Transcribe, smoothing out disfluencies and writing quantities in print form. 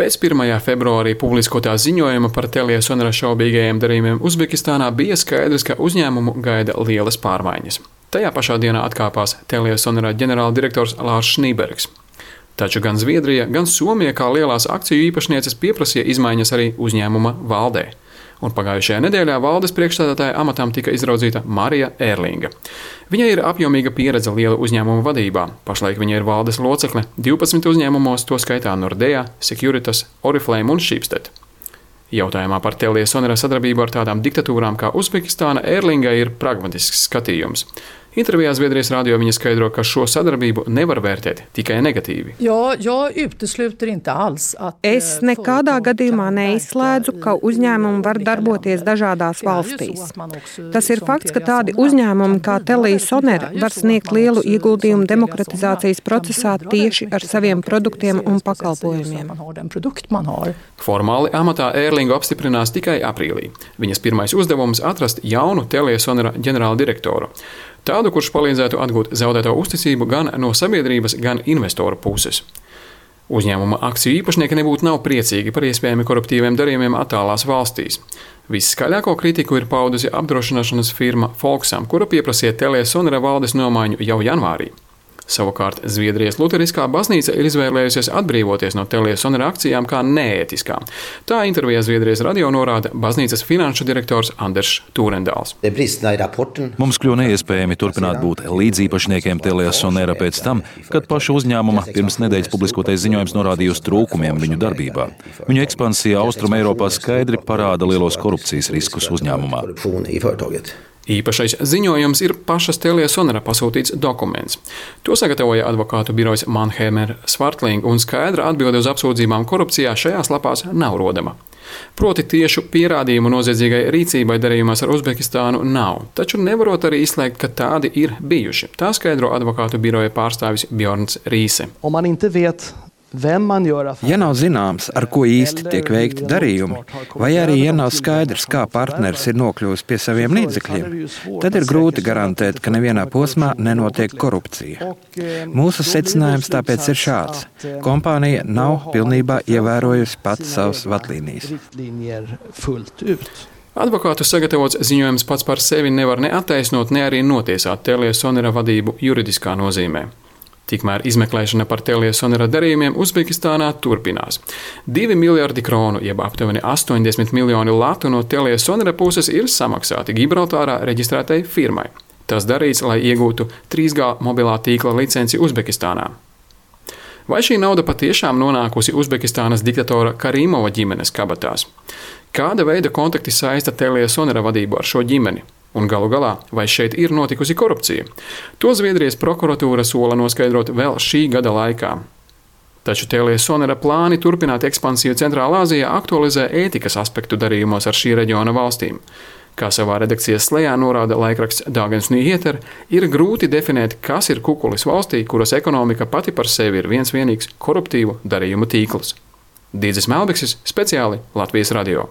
Pēc 1. februārī publiskotā ziņojuma par Teliasonera šaubīgajiem darījumiem Uzbekistānā bija skaidrs, ka uzņēmumu gaida lielas pārmaiņas. Tajā pašā dienā atkāpās Teliasonera ģenerāldirektors Lārs Šnībergs. Taču gan Zviedrija, gan Somija kā lielās akciju īpašnieces pieprasīja izmaiņas arī uzņēmuma valdē. Un pagājušajā nedēļā valdes priekšstādātāja amatam tika izraudzīta Marija Ērlinga. Viņai ir apjomīga pieredze liela uzņēmuma vadībā. Pašlaik viņa ir valdes locekle 12 uzņēmumos, to skaitā Nordea, Securitas, Oriflame un Schibsted. Jautājumā par Teliasonera sadarbību ar tādām diktatūrām kā Uzbekistāna Ērlingai ir pragmatisks skatījums. Intervijā Zviedrijas radio viņa skaidro, ka šo sadarbību nevar vērtēt tikai negatīvi. Es nekādā gadījumā neizslēdzu, ka uzņēmumi var darboties dažādās valstīs. Tas ir fakts, ka tādi uzņēmumi kā Teliasonera var sniegt lielu ieguldījumu demokratizācijas procesā tieši ar saviem produktiem un pakalpojumiem. Formāli amatā Ērlingu apstiprinās tikai aprīlī. Viņas pirmais uzdevums atrast jaunu Teliasonera ģenerāldirektoru. Tādu, kurš palīdzētu atgūt zaudēto uzticību gan no sabiedrības, gan investoru puses. Uzņēmuma akciju īpašnieki nebūtu nav priecīgi par iespējami koruptīviem darījumiem attālās valstīs. Viskaļāko kritiku ir paudusi apdrošināšanas firma Folksam, kura pieprasīja Teliasonera valdes nomaiņu jau janvārī. Savukārt Zviedrijas luteriskā baznīca ir izvēlējusies atbrīvoties no Teliasonera akcijām kā neētiskām. Tā intervijā Zviedrijas radio norāda baznīcas finanšu direktors Anders Turendals. Mums kļuva neiespējami turpināt būt līdzīpašniekiem Teliasonera pēc tam, kad paša uzņēmuma pirms nedēļas publiskotais ziņojums norādīja uz trūkumiem viņu darbībā. Viņu ekspansija Austrum Eiropā skaidri parāda lielos korupcijas riskus uzņēmumā. Īpašais ziņojums ir pašas Teliasonera pasūtīts dokuments. To sagatavoja advokātu birojas Mannheimer Swartling, un skaidra atbilde uz apsūdzībām korupcijā šajās lapās nav rodama. Proti tiešu pierādījumu noziedzīgai rīcībai darījumās ar Uzbekistānu nav, taču nevarot arī izslēgt, ka tādi ir bijuši. Tā skaidro advokātu biroja pārstāvis Bjorns Rīse. Ja nav zināms, ar ko īsti tiek veikti darījumi, vai arī ja nav skaidrs, kā partneris ir nokļuvis pie saviem līdzekļiem, tad ir grūti garantēt, ka nevienā posmā nenotiek korupcija. Mūsu secinājums tāpēc ir šāds. Kompānija nav pilnībā ievērojusi pats savas vadlīnijas. Advokātu sagatavots ziņojums pats par sevi nevar ne attaisnot, ne arī notiesāt Teliasonera vadību juridiskā nozīmē. Tikmēr izmeklēšana par Teliasonera darījumiem Uzbekistānā turpinās. 2 miljardi kronu, jeb aptuveni 80 miljoni latu no Teliasonera puses ir samaksāti Gibraltārā reģistrētai firmai. Tas darīts, lai iegūtu 3G mobilā tīkla licenci Uzbekistānā. Vai šī nauda patiešām nonākusi Uzbekistānas diktatora Karimova ģimenes kabatās? Kāda veida kontakti saista Teliasonera vadību ar šo ģimeni? Un galu galā, vai šeit ir notikusi korupcija? To Zviedrijas prokuratūra sola noskaidrot vēl šī gada laikā. Taču Teliasonera plāni turpināt ekspansiju Centrālā Āzijā aktualizē ētikas aspektu darījumos ar šī reģiona valstīm. Kā savā redakcijas slējā norāda laikraksts Dagens Nyheter, ir grūti definēt, kas ir kukulis valstī, kuras ekonomika pati par sevi ir viens vienīgs koruptīvu darījumu tīkls. Dīdzis Melbeksis, speciāli Latvijas radio.